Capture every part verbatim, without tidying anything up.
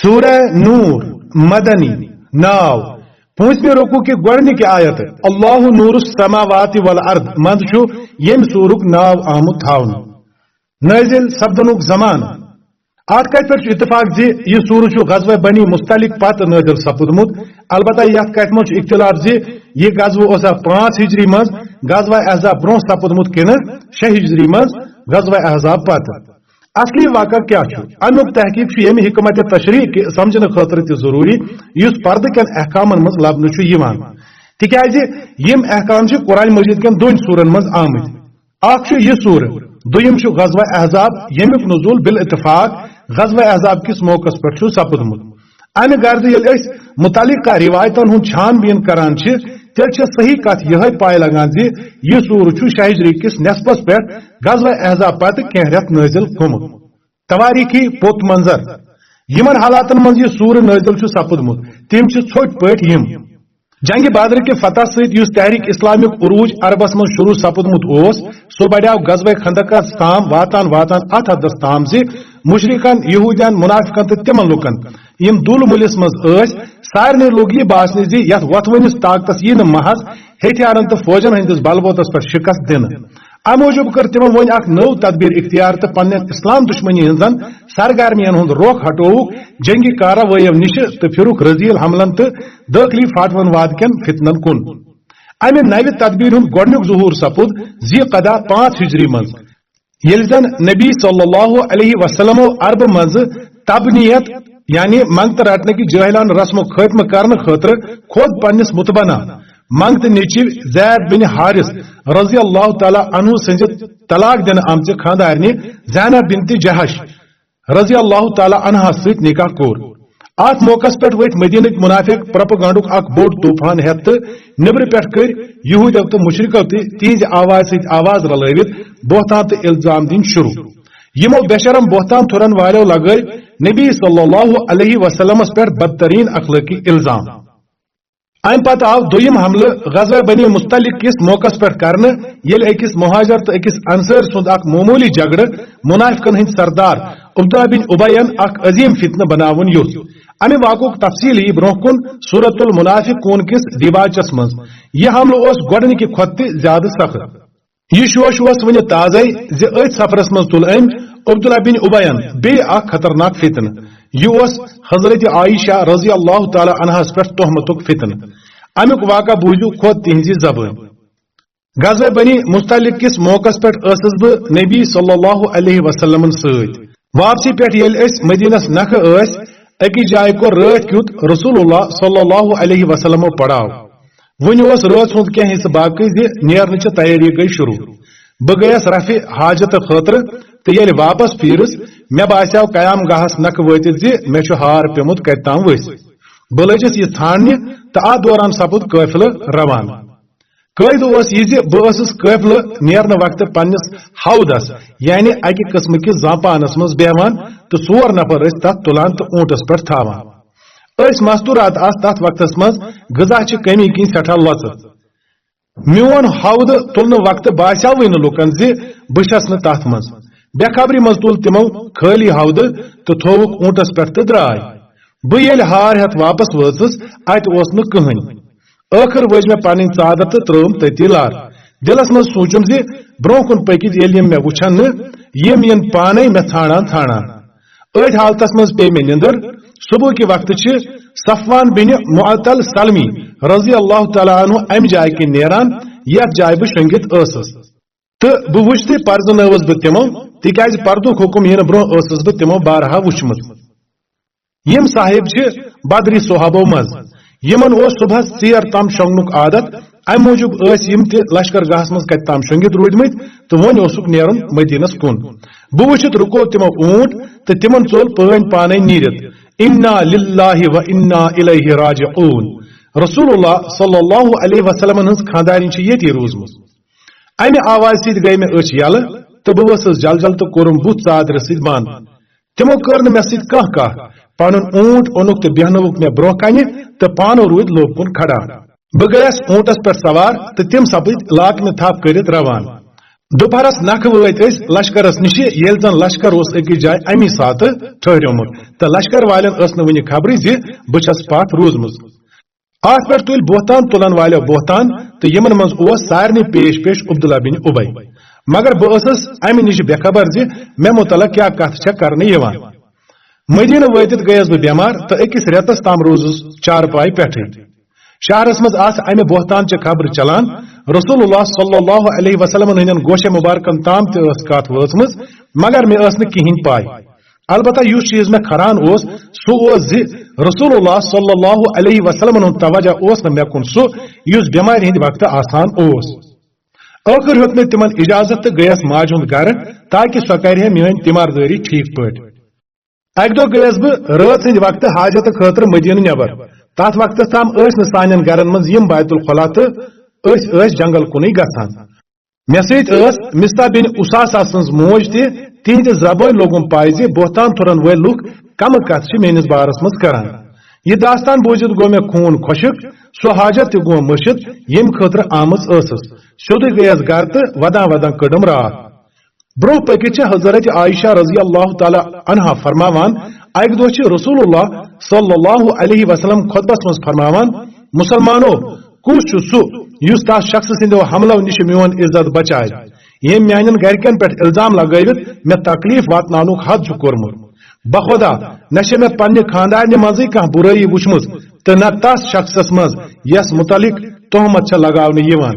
سورہ نور، مدنی، ناو، پوٗنٛژمہِ رکوع کہِ گۄڈٕنِکہِ آیت، اللہ نور السماوات والارض منٛز چھُ ییٚمہِ سورُک ناو آمُت تھاونہٕ۔ نٲزِل سپدنُک زمانہٕ۔ اَتھ کَتھِ پٮ۪ٹھ چھُ اتفاق زِ یہِ سورہ چھُ غزوہ بنی مصطلق پتہٕ نٲزِل سپُدمُت۔ البتہ یَتھ کَتھِ منٛز چھُ اختلاف زِ یہِ غزوہ اوسا پانٛژھ ہجری منٛز غزوہ احزاب برونٛہہ سپُدمُت کِنہٕ شےٚ ہجری منٛز غزوہ احزاب پتہٕ۔ اصلی واقعہ کیٛاہ چھُ؟ اَمیُک تحقیق چھُ ییٚمہِ حکمت تشریح کہِ سمجھنہٕ خٲطرٕ تہِ ضروٗری، یُس پردٕ کٮ۪ن احکامن منٛز لبنہٕ چھُ یِوان، تِکیازِ یِم احکام چھِ قرآن مجید کٮ۪ن دۄن سورن منٛز آمٕتۍ۔ اکھ چھُ یہِ سورہ، دوٚیِم چھُ غزوہ احزاب، ییٚمیُک نزول بالاتفاق غزوہ احزاب کِس موقعس پٮ۪ٹھ چھُ سپُدمُت۔ امہِ غرضہٕ ییٚلہِ أسۍ متعلقہ روایتن ہُنٛد چھان بیٖن کران چھِ، تیٚلہِ چھےٚ صحیح کتھ یِہے پاے لگان زِ یہِ سورہ چھُ شاہ ہجری کِس نصفس پٮ۪ٹھ غزوہ احزاب پتہٕ کینٛہہ رٮ۪تھ نٲزِل گوٚمُت۔ توٲریٖخی پوٚت منظر۔ یِمن حالاتن منٛز یہِ سورہ نٲزِل چھُ سپُدمُت، تِم چھِ ژھوٚٹۍ پٲٹھۍ یِم۔ جنگِ بدر کہِ فتح سۭتۍ یُس تحریک اسلامیُک عروج عربس منٛز شروع سپُدمُت اوس، سُہ بڑیو غزوہ خندقس تام واتان واتان اتھ حدس تام زِ مشرکن، یہودین، منافقن تہٕ تِمن لوٗکن، یِم دُل مُلِس منٛز ٲسۍ، سارنٕے لوٚگ یہِ باسنہِ زِ یتھ وۄتھوٕنِس طاقتس ییہِ نہٕ محض ہتھیارن تہٕ فوجن ہٕنٛدِس بلبوتس پٮ۪ٹھ شکست دِنہٕ۔ امہِ موٗجوٗب کٔر تِمو وۄنۍ اکھ نٔو تدبیر اختیار تہٕ پننٮ۪ن اسلام دشمنی ہٕنٛزن سرگرمین ہُنٛد رۄخ ہٹووُکھ جنگی کاروٲیو نِشہِ تہٕ پھِرُکھ رزیل حملن تہٕ دٲخلی فاٹون واد کٮ۪ن فتنن کُن۔ امہِ نوِ تدبیرِ ہُنٛد گۄڈنیُک ظہور سپُد ذی قعدہ پانٛژھ ہجری منٛز، ییٚلہِ زن نبی صلی اللہ علیہ وسلمو عربہٕ منٛزٕ تبنیت، یعنی منگتہٕ رٹنہٕ کہِ جٲہلانہٕ رسمُک خٲتمہٕ کرنہٕ خٲطرٕ خود پننِس متبنہ منگتہٕ نیٚچِو زید بن حارث رضی اللہ تعالیٰ عنہ سٕنٛزِ طلاق دِنہٕ آمژِ خانٛدارنہِ زینب بنت جحش رضی اللہ تعالیٰ عنہا سۭتۍ نکاح کوٚر۔ اتھ موقعس پٮ۪ٹھ ؤتھۍ مدینٕکۍ منافق پروپیگنڈُک اکھ بوٚڑ طوفان ہٮ۪تھ تہٕ نیبرٕ پٮ۪ٹھ کٔرۍ یہودیو تہٕ مشرکو تہِ تِہنٛزِ آوازِ سۭتۍ آواز رلٲوِتھ بہتان تہٕ الزام دِنۍ شروع۔ یِمو بے شرم بہتان تھُرن والٮ۪و لگٲوۍ نبی صلی اللہ علیہ وسلمس پٮ۪ٹھ بدترین اخلٲقی الزام۔ امہِ پتہٕ آو دوٚیِم حملہٕ غزوہ بنی مصطلق کِس موقعس پٮ۪ٹھ کرنہٕ، ییٚلہِ أکِس مہاجر تہٕ أکِس انصٲرۍ سُنٛد اکھ معموٗلی جھگڑٕ منافقن ہٕنٛدۍ سردار عبدہ بن اُبین اکھ عظیم فتنہٕ بناوُن یوٚژھ۔ امہِ واقعُک تفصیل یِیہِ برونٛہہ کُن سورۃ المنافقون کِس دیباچس منٛز۔ یہِ حملہٕ اوس گۄڈٕنِکہِ کھۄتہٕ تہِ زیادٕ سخت۔ یہِ شوش اوس وُنہِ تازے زِ أتھۍ سفرس منٛز تُل أمۍ عبداللہ بن اُبین بیٚیہِ اکھ خطرناک فتنہٕ۔ یہِ اوس حضرت عائشہ رضی اللہ تعالیٰ عنہس پٮ۪ٹھ تہمتُک فتنہٕ۔ امیُک واقعہ بوٗزِو خود تِہنٛزِ زبٲنۍ۔ غزوہ بنی مصطلق کِس موقعس پٮ۪ٹھ ٲسٕس بہٕ نبی صلی اللہ علیہ وسلمن سۭتۍ۔ واپسی پٮ۪ٹھ ییٚلہِ أسۍ مدینس نکھٕ ٲسۍ، أکِس جایہِ کوٚر رٲتھ کیُتھ رسول اللہ صلی اللہ علیہ وسلمو پڑاو۔ وُنہِ اوس رٲژ ہُنٛد کینٛہہ حصہٕ باقٕے زِ نیرنٕچہِ تیٲری گٔے شروع۔ بہٕ گٔیَس رفع حاجتہٕ خٲطرٕ تہٕ ییٚلہِ واپس پھیٖرٕس، مےٚ باسیٛاو قیام گاہس نکھٕ وٲتِتھ زِ مےٚ چھُ ہار پیوٚمُت کتہِ تام ؤسۍ۔ بہٕ لٔجِس یہِ ژھانٛڈنہِ تہٕ اتھ دوران سپُد قٲفلہٕ روانہٕ۔ قٲعدٕ اوس یہِ زِ بہٕ ٲسٕس قٲفلہٕ نیرنہٕ وقتہٕ پننِس ہودس، یعنی اکہِ قٕسمہٕ کِس زانپانس منٛز بیہوان تہٕ ژور نفر ٲسۍ تتھ تُلان تہٕ اوٗنٹس پٮ۪ٹھ تھاوان۔ أسۍ مستورات آسہٕ تتھ وقتس منٛز غذا چہِ کمی کِنۍ سٮ۪ٹھاہ لۄژٕ۔ میون ہودٕ تُلنہٕ وقتہٕ باسیوٕے نہٕ لوٗکن زِ بہٕ چھَس نہٕ تتھ منٛز۔ بے خبری منٛز تُل تِمو خٲلی ہودٕ تہٕ تھووُکھ اوٗنٹس پٮ۪ٹھ تہٕ درٛاے۔ بہٕ ییٚلہِ ہار ہٮ۪تھ واپس وٲژٕس، اتہِ اوس نہٕ کٕہٕنۍ۔ ٲخٕر ؤج مےٚ پنٕنۍ ژادر تہٕ ترٲوٕم تٔتی لار۔ دِلس منٛز سوٗنچُم زِ برونٛہہ کُن پٔکِتھ ییٚلہِ یِم مےٚ وٕچھن نہٕ، یِم یِن پانے مےٚ ژھانڈان ژھانڈان۔ أتھۍ حالتس منٛز پیٚیہِ مےٚ نِندٕر۔ صبح کہِ وقتہٕ چھِ صفوان بن معطل سلمی رضی اللہ تعالیٰ عنہ امہِ جایہِ کِنۍ نیران، یتھ جایہِ بہٕ شۄنگِتھ ٲسٕس۔ تہٕ بہٕ وُچھتھٕے پرزنٲوٕس بہٕ تِمو، تِکیازِ پردُک حُکم یِنہٕ برونٛہہ ٲسٕس بہٕ تِمو بارہا وُچھمُت۔ یِم صاحب چھِ بدری صحابو منٛز، یِمن اوس صبحس ژیر تام شۄنگنُک عادت، امہِ موٗجوٗب ٲسۍ یِم تہِ لشکر گاہس منٛز کتہِ تام شۄنگِتھ روٗدمٕتۍ تہٕ وۄنۍ اوسُکھ نیرُن مدینس کُن۔ بہٕ وُچھِتھ رُکو تِمو اوٗنٹ تہٕ تِمن ژوٚل پٲنۍ پانے نیٖرِتھ، "انا للہ و انا الیہ راجعون۔" رسول اللہ صلی اللہ علیہ وسلمن ہٕنٛز خاندارِنۍ چھِ ییٚتی روٗزمٕژ۔ امہِ آوازِ سۭتۍ گٔے مےٚ أچھ یلہٕ تہٕ بہٕ ؤژھٕس جل جل تہٕ کوٚرُم بُتھ ژادرِ سۭتۍ بنٛد۔ تِمو کٔر نہٕ مےٚ سۭتۍ کانٛہہ کتھ۔ پنُن اوٗنٹ اوٚنُکھ تہٕ بیہنووُکھ مےٚ برونٛہہ کنہِ تہٕ پانہٕ روٗدۍ لوٚب کُن کھڑا۔ بہٕ گٔیس اوٗنٹس پٮ۪ٹھ سوار تہٕ تِم سپٕدۍ لاکنہٕ تھپھ کٔرِتھ روان۔ دُپہرس نکھٕ وٲتۍ أسۍ لشکرس نِشہِ، ییٚلہِ زن لشکر اوس أکِس جایہِ امی ساتہٕ ٹھٔہریومُت تہٕ لشکر والٮ۪ن ٲس نہٕ وُنہِ خبرٕے زِ بہٕ چھَس پتھ روٗزمٕژ۔ اتھ پٮ۪ٹھ تُلۍ بہتان تُلن والٮ۪و بہتان، تہٕ یِمن منٛز اوس سارنٕے پیش پیش عبداللہ بن ابی۔ مگر بہٕ ٲسٕس امہِ نِش بے خبر زِ مےٚ متعلق کیٛاہ کتھ چھےٚ کرنہٕ یِوان۔ مدینہ وٲتِتھ گٔیَس بہٕ بٮ۪مار تہٕ أکِس رٮ۪تَس تام روٗزُس چارپاے پٮ۪ٹھٕے۔ شہرس منٛز آسہٕ امہِ بہتان چہِ خبرٕ چلان۔ رسول اللہ صلی اللہ علیہ وسلمن ہٕنٛدٮ۪ن گوشے مبارکن تام تہِ ٲس کتھ وٲژمٕژ، مگر مےٚ ٲس نہٕ کِہیٖنۍ پاے۔ البتہ یُس چیز مےٚ کھران اوس، سُہ اوس زِ رسول اللہ صلی اللہ علیہ وسلمن ہُنٛد توجہ اوس نہٕ مےٚ کُن سُہ، یُس بٮ۪مارِ ہٕنٛدِ وقتہٕ آسان اوس۔ ٲخٕر ہیوٚت مےٚ تِمن اجازت تہٕ گٔیَس ماجہِ ہُنٛد گرٕ، تاکہ سۄ کرِ ہے میٲنۍ تیماردٲری ٹھیک پٲٹھۍ۔ اکہِ دۄہ گٔیَس بہٕ رٲژ ہٕنٛدِ وقتہٕ حاجت خٲطرٕ مدینہٕ نٮ۪بر۔ تتھ وقتس تام ٲسۍ نہٕ سانٮ۪ن گرن منٛز یِم بیت الخلا تہٕ أسۍ ٲسۍ جنگل کُنُے گژھان۔ مےٚ سۭتۍ ٲس مصطح بن اساسہ سٕنٛز موج تہِ۔ تِہنٛدِ زبٲنۍ لوٚگُم پاے زِ بہتان تُلن وٲلۍ لُکھ کمہٕ کتھٕ چھِ میٲنِس بارس منٛز کران۔ یہِ داستان بوٗزِتھ گوٚو مےٚ خوٗن خۄشک۔ سۄ حاجت تہِ گوٚو مٔشِتھ، ییٚمہِ خٲطرٕ آمٕژ ٲسٕس۔ سیوٚدُے گٔیَس گرٕ تہٕ ودان ودان کٔڈٕم راتھ۔ برونٛہہ پٔکِتھ چھِ حضرت عائشہ رضی اللہ تعالیٰ عنہا فرماوان، اکہِ دۄہ چھِ رسول اللہ صلی اللہ علیہ وسلم خطبس منٛز فرماوان، مسلمانو، کُس چھُ سُہ یُس تس شخص سٕنٛدیو حملو نِش میون عزت بچایہِ؟ ییٚمۍ میانٮ۪ن گرِکٮ۪ن پٮ۪ٹھ الزام لگٲوِتھ مےٚ تکلیف واتناونُک حد چھُ کوٚرمُت۔ بخدا، نہ چھےٚ مےٚ پننہِ خاندارنہِ منٛزٕے کانٛہہ بُرٲیی وٕچھمٕژ تہٕ نہ تس شخصس منٛز یس متعلق تہمت چھےٚ لگاونہٕ یِوان۔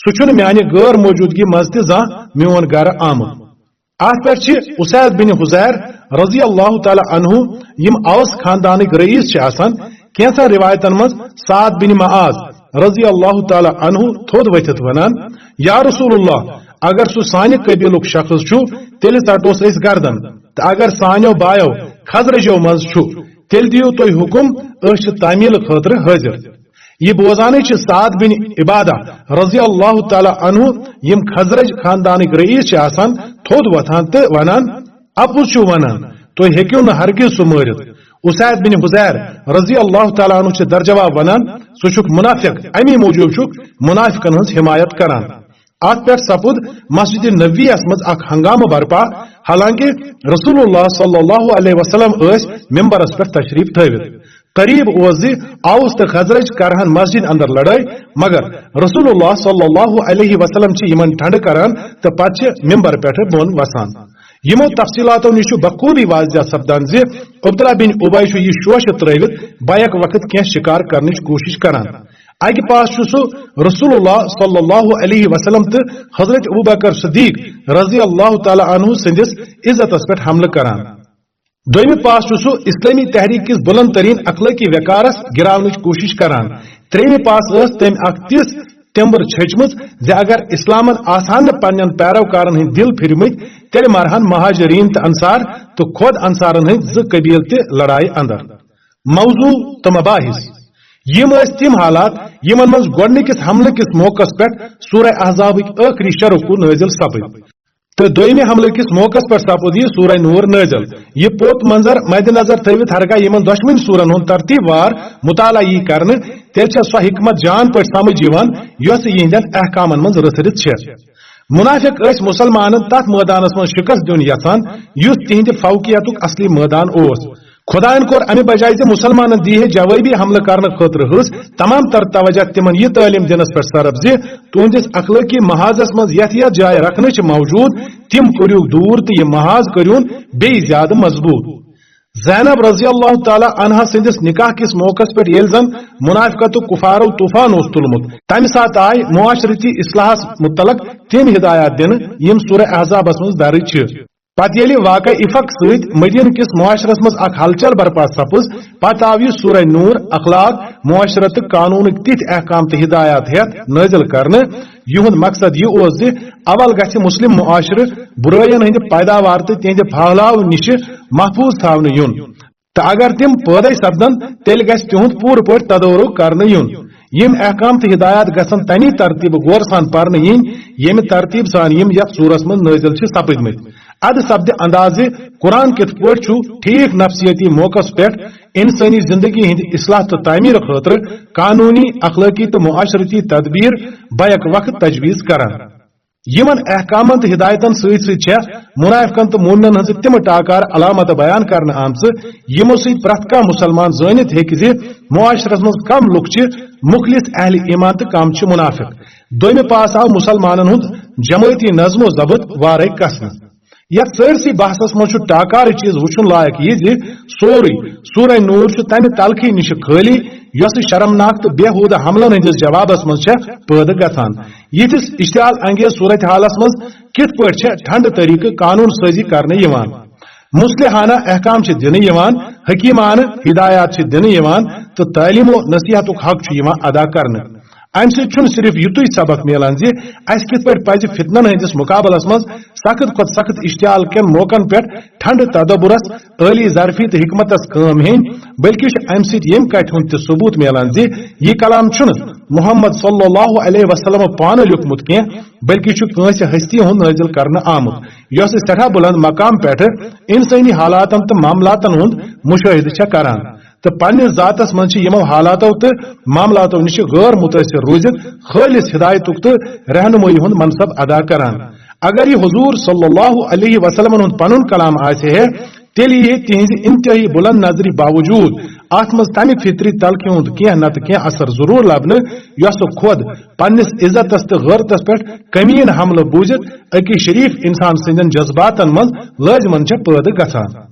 سُہ چھُنہٕ میانہِ غٲر موجودگی منٛز تہِ زانٛہہ میون گرٕ آمُت۔ اتھ پٮ۪ٹھ چھِ اسید بن حضیر رضی اللہ تعالیٰ عنہ، یِم اوس خاندانٕکۍ رئیس چھِ آسان، کینٛژن روایتن منٛز سعد بن معاذ رضی اللہ تعالیٰ عنہ تھوٚد ؤتھِتھ ونان، یا رسول اللہ، اگر سُہ سانہِ قبیلُک شخص چھُ، تیٚلہِ ژٹوس أسۍ گردن، تہٕ اگر سانیو بایو خزرجو منٛز چھُ، تیٚلہِ دِیِو تُہۍ حُکم، أسۍ چھِ تعمیل خٲطرٕ حٲضِر۔ یہِ بوزانٕے چھِ سعد بن عبادہ رضی اللہ تعالیٰ عنہ، یِم خزرج خاندانٕکۍ رئیس چھِ آسان، تھوٚد وۄتھان تہٕ ونان، اپُز چھُو ونان، تُہۍ ہیٚکِو نہٕ ہرگز سُہ مٲرِتھ۔ اسید بن حضیر رضی اللہ تعالیٰ عنہ چھِ درجواب ونان، ژٕ چھُکھ منافق، امی موٗجوٗب چھُکھ منافقن ہٕنٛز حمایت کران۔ اتھ پٮ۪ٹھ سپُد مسجد نبوی یس منٛز اکھ ہنگامہٕ برپا، حالانکہ رسول اللہ صلی اللہ علیہ وسلم ٲسۍ ممبرس پٮ۪ٹھ تشریف تھٲوِتھ۔ قریب اوس زِ اوس تہٕ خزرج کرہن مسجد اندر لڑٲے، مگر رسول اللہ صلی اللہ علیہ وسلم چھِ یِمن ٹھنڈٕ کران تہٕ پتہٕ چھِ ممبر پٮ۪ٹھٕ بۄن وسان۔ یِمو تفصیلاتو نِش چھُ بخوبی واضح سپدان زِ عبداللہ بن ابی چھُ یہِ شوشہِ ترٲوِتھ بیک وقت کینٛہہ شکار کرنٕچ کوٗشش کران۔ اکہِ پاس چھُ سُہ رسول اللہ صلی اللہ علیہ وسلم تہٕ حضرت ابوبکر صدیق رضی اللہ تعالیٰ عنہ سٕنٛدِس عزتس پٮ۪ٹھ حملہٕ کران۔ دوٚیمہِ پاس چھُ سُہ اسلٲمی تحریک کِس بلند ترین اخلٲقی وقارس گراونٕچ کوٗشش کران۔ ترٛیٚیمہِ پاس ٲس تٔمۍ اکھ تِژھ تٮ۪مبٕر چھٔچمٕژ زِ اگر اسلامن آسہٕ ہن نہٕ پننٮ۪ن پیروکارن ہٕنٛدۍ دِل پھِرمٕتۍ، تیٚلہِ مارہن مہاجرین تہٕ انصار تہٕ خۄد انصارن ہٕنٛدۍ زٕ قبیلہٕ تہِ لڑایہِ اندر۔ موضوع تہٕ مباحث۔ یِم ٲسۍ تِم حالات یِمن منٛز گۄڈٕنِکِس حملہٕ کِس موقعس پٮ۪ٹھ سورہ احزابٕکۍ ٲخری شےٚ رکوع نٲزِل سپٕدۍ۔ تہٕ دوٚیمہِ حملہٕ کِس موقعس پٮ۪ٹھ سپُد یہِ سورہ نور نٲزِل۔ یہِ پوٚت منظر مدِ نظر تھٲوِتھ ہرگاہ یِمن دۄشوٕنۍ سورن ہُنٛد ترتیٖب وار مطالعہ یی کرنہٕ، تیٚلہِ چھےٚ سۄ حکمت جان پٲٹھۍ سمجھ یِوان یۄس یِہنٛدٮ۪ن احکامن منٛز رٔژھرِتھ چھےٚ۔ منافق ٲسۍ مسلمانن تتھ مٲدانس منٛز شکست دیُن یژھان یُس تِہنٛدِ فوقیتُک اصلی مٲدان اوس۔ خداین کوٚر امہِ بجایہِ زِ مسلمانن دی ہے جوابی حملہٕ کرنہٕ خٲطرٕ حٲص، تمام تر توجہ تِمن یہِ تعلیٖم دِنس پٮ۪ٹھ صرف زِ تُہنٛدِس اخلٲقی محاذس منٛز یتھ یتھ جایہِ رکھنہٕ چھِ موجود، تِم کٔرِو دوٗر تہٕ یہِ محاذ کٔرِوُن بیٚیہِ زیادٕ مضبوط۔ زینب رضی اللہ تعالیٰ عنہا سٕنٛدِس نکاح کِس موقعس پٮ۪ٹھ ییٚلہِ زن منافقتُک کفارو طوفان اوس تُلمُت، تمہِ ساتہٕ آیہِ معاشرتی اصلاحس متعلق تِم ہدایات دِنہٕ یِم سورہ احزابس منٛز درٕج چھِ۔ پتہٕ ییٚلہِ واقعہ افق سۭتۍ مدینہ کِس معاشرس منٛز اکھ ہلچل برپا سپٕز، پتہٕ آو یہِ سورہ نور، اخلاق، معاشرہ تہٕ قانونٕکۍ تِتھۍ احکام تہٕ ہدایات ہٮ۪تھ نٲزِل کرنہٕ، یِہُنٛد مقصد یہِ اوس زِ اول گژھِ مسلم معاشرٕ برٲین ہٕنٛدِ پیداوار تہٕ تِہنٛدِ پھہلاو نِش محفوظ تھاونہٕ یُن۔ تہٕ اگر تِم پٲدٕ سپدن، تیٚلہِ گژھِ تِہُنٛد پوٗرٕ پٲٹھۍ تدورُک کرنہٕ یُن۔ یِم احکام تہٕ ہدایات گژھن تمی ترتیٖبہٕ غور سان پرنہٕ یِنۍ، ییٚمہِ ترتیٖب سان یِم یتھ سورس منٛز نٲزِل چھِ سپٕدمٕتۍ۔ ادٕ سپدِ اندازِ قرآن کِتھ پٲٹھۍ چھُ ٹھیٖک نفسیٲتی موقعس پٮ۪ٹھ انسٲنی زندگی ہٕنٛدِ اصلاح تہٕ تعمیٖر خٲطرٕ قانوٗنی، اخلٲقی تہٕ معاشرتی تدبیر بیک وقت تجویز کران۔ یِمن احکامن تہٕ ہدایتن سۭتۍ سۭتۍ چھےٚ منافقن تہٕ مومنن ہٕنٛزٕ تِم ٹاکار علامتہٕ بیان کرنہٕ آمژٕ، یِمو سۭتۍ پرٛٮ۪تھ کانٛہہ مُسلمان زٲنِتھ ہیٚکہِ زِ معاشرس منٛز کم لُکھ چھِ مخلص اہل ایمان تہٕ کم چھِ منافق۔ دوٚیمہِ پاس آو مُسلمانن ہُنٛد جمٲعتی نظم و ضبط وارے کسنہٕ۔ یتھ سٲرسٕے بحثس منٛز چھُ ٹاکارٕ چیز وُچھُن لایق یہِ زِ سورُے سورہ نور چھُ تمہِ تلخی نِشہِ خٲلی، یۄسہٕ شرمناک تہٕ بیہودٕ حملن ہٕنٛدِس جوابس منٛز چھےٚ پٲدٕ گژھان۔ یِتھِس اشتعال انگیز صورتحالس منٛز کِتھ پٲٹھۍ چھےٚ ٹھنڈٕ طریقہٕ قانون سٲزی کرنہٕ یِوان؟ مصلحانہ احکام چھِ دِنہٕ یِوان، حکیمانہٕ ہدایات چھِ دِنہٕ یِوان تہٕ تعلیم و نصیحتُک حق چھُ یِوان ادا کرنہٕ۔ امہِ سۭتۍ چھُنہٕ صرف یُتُے سبق میلان زِ اسہِ کِتھ پٲٹھۍ پزِ فتنن ہٕنٛدِس مقابلس منٛز سخت کھۄتہٕ سخت اشتعال کٮ۪ن موقعن پٮ۪ٹھ ٹھنڈٕ تدبرس، عٲلی ظرفی تہٕ حکمتس کٲم ہیٚنۍ، بلکہِ چھُ امہِ سۭتۍ ییٚمہِ کتھِ ہُنٛد تہِ ثبوت میلان زِ یہِ کلام چھُنہٕ محمد صلی اللہ علیہ وسلم پانہٕ لیوٗکھمُت کینٛہہ، بلکہِ چھُ کٲنٛسہِ ہستی ہُنٛد نٲزِل کرنہٕ آمُت، یۄسہٕ سٮ۪ٹھاہ بُلند مقام پٮ۪ٹھٕ انسٲنی حالاتن تہٕ معاملاتن ہُنٛد مُشٲہدٕ چھےٚ کران۔ تہٕ پننِس ذاتس منٛز چھِ یِمو حالاتو تہٕ معاملاتو نِش غٲر متٲثر روٗزِتھ خٲلص ہدایتُک تہٕ رہنمٲیی ہُنٛد منصب ادا کران۔ اگر یہِ حضور صلی اللہ علیہ وسلمن ہُنٛد پنُن کلام آسہِ ہے، تیٚلہِ یی ہے تِہنٛزِ انتہٲئی بُلند نظرِ باوجود اتھ منٛز تمہِ فطری تلخہِ ہُنٛد کینٛہہ نتہٕ کینٛہہ اثر ضروٗر لبنہٕ، یۄسہٕ خۄد پننِس عزتس تہٕ غٲرتس پٮ۪ٹھ کمین حملہٕ بوٗزِتھ أکِس شریف انسان سٕنٛدٮ۪ن جذباتن منٛز لٲزمن چھےٚ پٲدٕ گژھان۔